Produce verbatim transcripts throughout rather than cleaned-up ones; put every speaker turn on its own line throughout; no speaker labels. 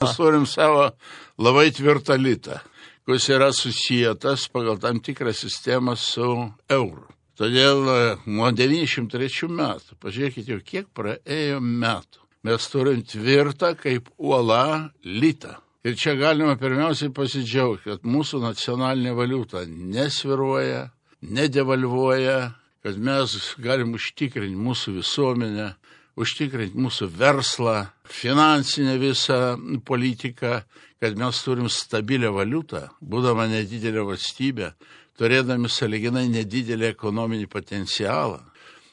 Mes turim savo labai tvirtą litą, kuris yra susijęs pagal tam tikrą sistemą su euru. Todėl nuo devyniasdešimt trečių metų, pažiūrėkite, jau kiek praėjo metų, mes turim tvirtą kaip uola litą. Ir čia galima pirmiausiai pasidžiaugti, kad mūsų nacionalinė valiuta nesviruoja, nedevalvuoja, kad mes galim užtikrinti mūsų visuomenę, užtikrinti mūsų verslą, finansinę visą politiką, kad mes turim stabilią valiutą, būdama nedidelė valstybė, turėdami sąlyginai nedidelį ekonominį potencialą.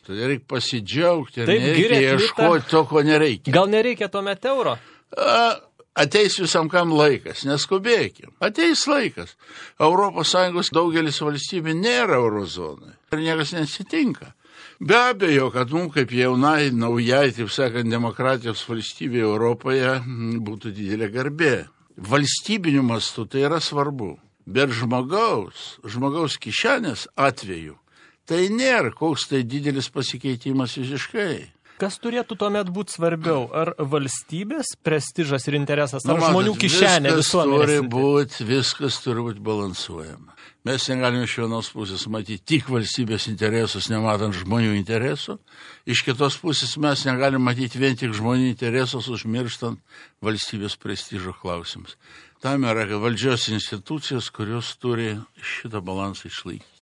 Todėl reikia pasidžiaugti ir nereikia ieškoti to, ko nereikia.
Gal nereikia tuomet euro?
A, ateis visam kam laikas, neskubėkim. Ateis laikas. Europos Sąjungos daugelis valstybių nėra eurozonai ir niekas nesitinka. Be abejo, kad mums kaip jaunai, naujai, taip sakant, demokratijos valstybė Europoje būtų didelė garbė. Valstybiniu mastu tai yra svarbu, bet žmogaus, žmogaus kišenės atveju tai nėra koks tai didelis pasikeitimas visiškai.
Kas turėtų tuomet būti svarbiau? Ar valstybės prestižas ir interesas, ar
nu, matot,
žmonių kišenė visuomenės?
Turi būt, viskas turi būti balansuojama. Mes negalime iš vienos pusės matyti tik valstybės interesus, nematant žmonių interesų. Iš kitos pusės mes negalime matyti vien tik žmonių interesus, užmirštant valstybės prestižo klausimus. Tam yra valdžios institucijos, kurios turi šitą balansą išlaikyti.